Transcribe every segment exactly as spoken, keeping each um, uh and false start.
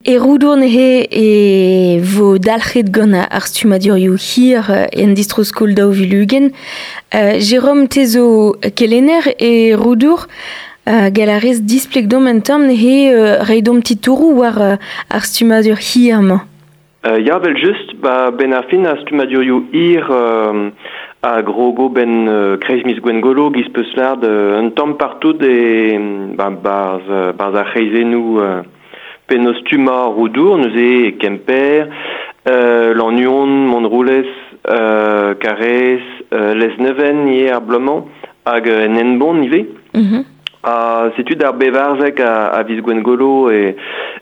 E Roudour neuze e vo dalc'het gant ar stummadurioù hir en distro-skol daou vil ugent. Uh, Jérôme, te zo kelenner e Roudour, uh, gall a rez displeg domp un tamm neuze uh, reiñ domp titouroù war uh, ar stummadur hir-mañ. Uh, ya, vel just, ba, ben ar fin ar stummadurioù hir euh, a grogo ben euh, kreiz miz Gwengolo giz peus lâret euh, un tamm partout e ba, barz, barz ar c'hreizennoù euh, penaos stummañ Roudour, neuze e Kemper, euh, Lannuon, Montroulez, euh, Karaez, euh, Lesneven ivez ar bloaz-mañ, hag en Henbont ivez. Mm-hmm. Ha setu d'ar bevarzek a, a viz Gwengolo e,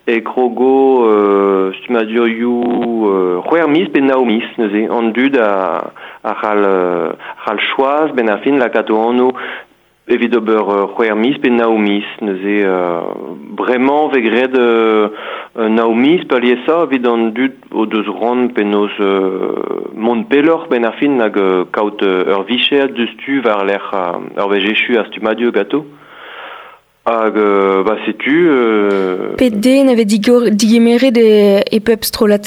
e krogo euh, stummadurioù euh, c'hwec'h miz pe nav miz neuze an dud a, a c'hall, euh, c'hall choaz ben ar fin lakaat o anv evit ober euh, c'hwec'h miz pe nav miz neuze euh, bremañ vez graet euh, nav miz peurliesañ evit an dud o deus c'hoant penaos euh, mont pelloc'h ben ar fin hag euh, kaout euh, ur vicher diouzhtu war-lerc'h euh, ur wech echu ar stummadur ganto. Hag euh, ba setu... Euh... Pet den a vez digor, digemeret e, e pep strollad?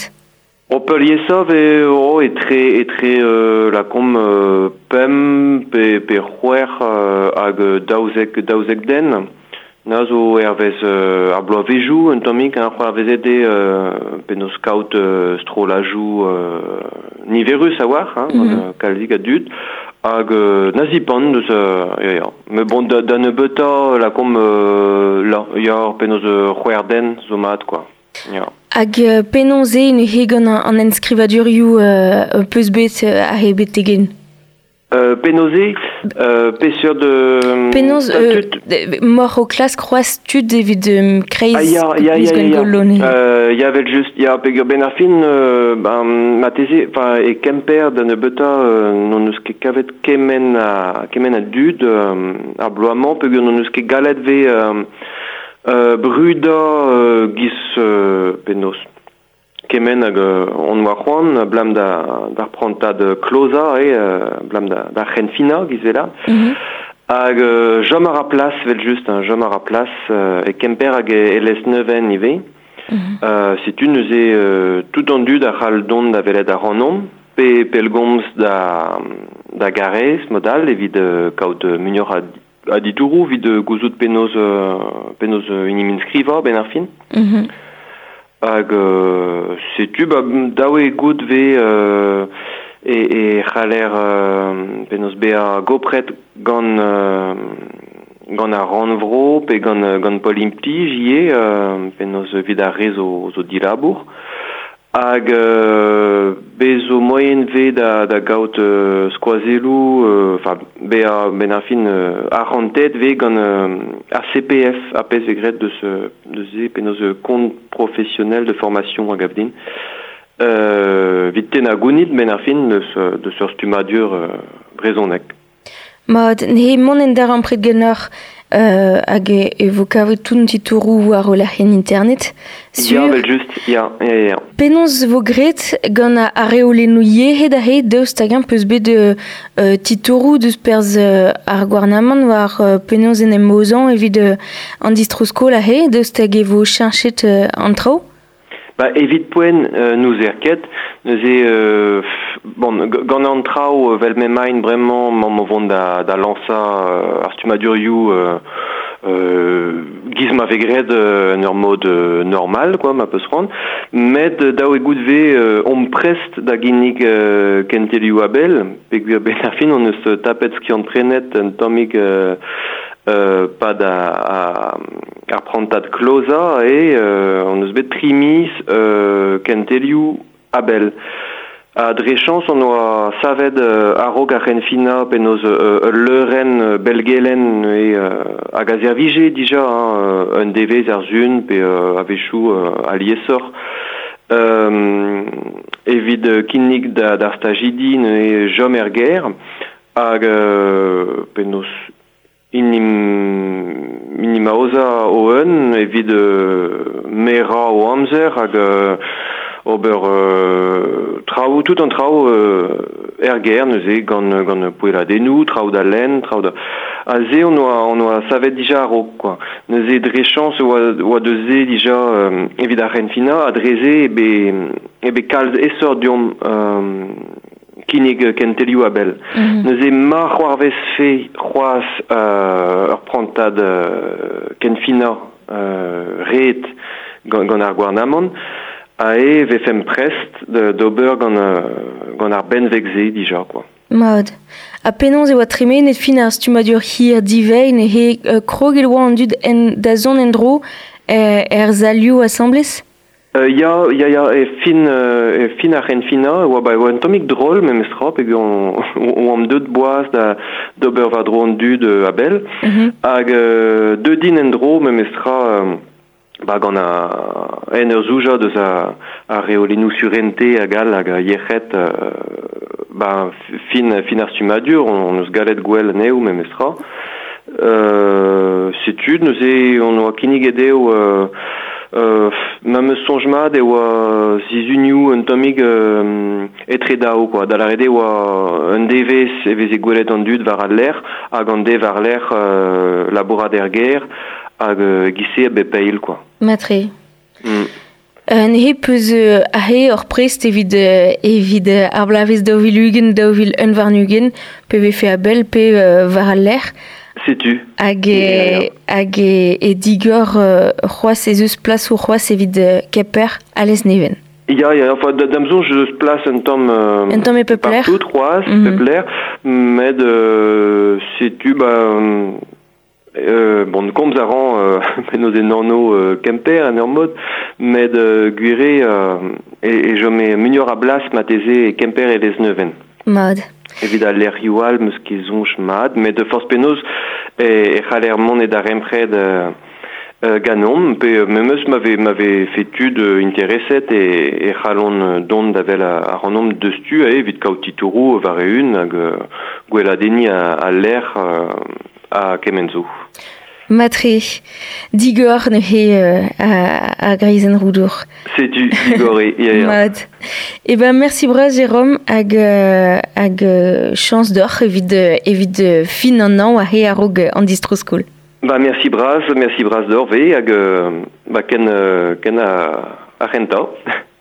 O peurliesañ vez oh, etre, etre euh, lakaomp euh, pemp pe, pe c'hwec'h euh, hag daouzek, daouzek den. Na zo hervez euh, ar bloavezioù un tammig, hein, c'hoarvezet eo euh, penaos kaout euh, strollajoù euh, niverus a-walc'h, hein, mm -hmm. gant kalzik a dud. Hag euh, na zipant deus euh, ya ya. Met bon da, da nebeutañ lakaomp euh, la ya penaos euh, c'hwec'h den zo mat quoi. Ya. Hag euh, penaos eo neuze gant an enskrivadurioù euh, peus bet euh, aze betegen? Euh, penaos eo, euh, peseurt de... Penaos, euh, mor o klask c'hoazh tud evit euh, kreiz ah, ya, ya, ya, ya, ya. Euh, ya vel just, ya, peogwir ben ar fin, euh, ben, marteze, enfin, e Kemper da nebeutañ euh, n'hon eus ket kavet kement a, kement a dud euh, ar bloaz-mañ, peogwir n'hon eus ket gallet ve euh, euh, brudañ euh, giz euh, penaos. Kement hag euh, on oa c'hoant, blam da, d'ar prantad klozañ, e, euh, blam da, d'ar c'henfinañ giz vela. Mm -hmm. Hag euh, chom a ra plas, vel just, hein, chom a ra plas euh, e Kemper hag e, e Lesneven ivez. Mm -hmm. euh, setu neuze euh, tout an dud a c'hall dont da welet ac'hanomp, pe pellgomz da, da Garez, modal, evit euh, kaout muioc'h a, a ditouroù, evit gouzout penaos, euh, penaos euh, en em inskrivañ ben ar fin. Mm -hmm. Hag euh, setu, ba, dav eo goût ve euh, e, e c'haller euh, penaos bezañ gopret gant, euh, gant ar rannvro pe gant, gant Pol Implij ivez, euh, penaos evit ar re zo, zo dilabour. Hag euh, bez zo moaien ve da, da gaout euh, skoazelloù, enfin euh, bezañ ben ar fin euh, arc'hantet ve gant euh, ar C P F, ar pezh vez graet deus, deus se penaos compte professionnel de formation a gav din. Euh, evit tennañ gounid ben ar fin deus, deus ur stummadur euh, brezhoneg. Mat, neuze mont en darempred ganeoc'h euh, hag e vo kavet tout an titouroù war o lec'hienn internet. Sur... Ya, vel just, ya, ya, ya. Penaos vo graet gant ar reolennoù yec'hed aze daoust hag-eñ peus bet euh, titouroù deus perzh euh, ar gouarnamant war euh, penaos en em aozañ evit euh, an distro-skol aze, daoust hag e vo cheñchet euh, an traoù? Ba, evit poent euh, n'ouzer ket, neuze euh, bon, gant an traoù vel m'emaint bremañ mamm o vont da, da lañsañ euh, ar stummadurioù euh, euh, giz ma vez graet euh, en ur mod euh, normal, quoi, ma peus c'hoant. Met dav eo goût ve euh, omp prest da ginnig euh, kentelioù a-bell, peogwir ben ar fin on eus tapet skiant-prenet un tammig euh, euh, pad a, a, ar prantad klozañ e euh, on eus bet tri miz euh, kentelioù a-bell. Ha dre chañs on oa savet euh, a-raok ar c'henfinañ penaos euh, ul leurenn belgelen e euh, hag a servije dija hein, un devezh ar sun pe euh, a-wechoù euh, aliesoc'h. Euh, evit kinnig da, d'ar stajidi neuze chom er gêr hag euh, penaos inim, inim aozañ o-un evit euh, merañ o amzer hag euh, ober euh, traoù, tout an traoù euh, er ger neuze gant, gant poeladennoù, traoù da lenn, traoù da... A ze on oa, on oa savet dija a-raok, quoi. Neuze dre chañs oa, oa deus se dija euh, evit ar c'henfinañ, ha dre se eo bet, eo bet kalz aesoc'h deomp euh, kinnig kentelioù a-bell. Mm -hmm. Neuze ma c'hoarvezfe c'hoazh euh, ur prantad euh, kenfinañ euh, ret gant, gant ar gouarnamant, a e vefemp prest d'ober gant, gant ar benveg-se dija, quoi. Mat. Ha penaos e oa tremenet fin ar stummadur hir divein he uh, kroget oa an dud en, da zont en-dro er, er salioù asambles? Euh, ya, ya, ya, e fin, euh, e fin ar c'henfinañ, e oa, ba, e oa un tammig drol memestra, peogwir oamp deut boaz da d'ober war-dro an dud euh, a-bell, mm -hmm. hag euh, deut int en-dro memestra euh, ba, gant a, en ur zoujañ deus a, ar reolennoù surente hag all hag a yec'hed euh, ba, fin, fin ar stummadur, on, on eus gallet gwell anezho memestra. Euh, setu, neuze on oa kinniget dezho euh, Euh, ma 'm eus soñj mat e oa sizhunioù un tammig euh, etre daou, quoi. Da lâret eo oa un devezh e veze gwelet an dud war al lec'h hag an de war-lerc'h euh, labourat er gêr hag euh, e-giz-se a bep eil, quoi. Matre. Mm. Euh, neuze peus euh, aze oc'h prest evit, euh, evit euh, ar bloavezh daou vil ugent, daou vil un warn-ugent, pe vefe a-bell pe euh, war al lec'h. Setu. Hag e, hag e, e digor euh, c'hoazh ez eus plasoù c'hoazh evit euh, Kemper ha Lesneven. Ya, ya, enfin, da, d'am soñj eus plas un tamm... Euh, un tamm e pep lec'h. Partout, c'hoazh, mm -hmm. pep lec'h, met euh, setu, ba... Euh, bon, komz a ran euh, penaos en anv euh, Kemper en ur mod, met euh, gwir eo euh, e, e chome muioc'h a blas marteze e Kemper e Lesneven. Mat. Evit al lec'hioù all 'm eus ket soñj mat, met forzh penaos e, e c'haller mont e darempred euh, euh, ganeomp, pe memes ma vez, ma vefe tud intereset e, e c'hallont dont da wel ac'hanomp diouzhtu evit kaout titouroù war-eeun hag gweladenniñ al lec'h ha kement zo. Matre, digor neuze euh, a, a greizenn Roudour. Setu, digor eo, ya, ya. Mat. Eh ben, merci bras Jérôme hag, euh, hag euh, chañs deoc'h evit, evit fin an hañv aze a-raok an distro-skol. Ba, merci bras, merci bras deoc'h ivez hag ba, ken, ken a, ar c'hentañ.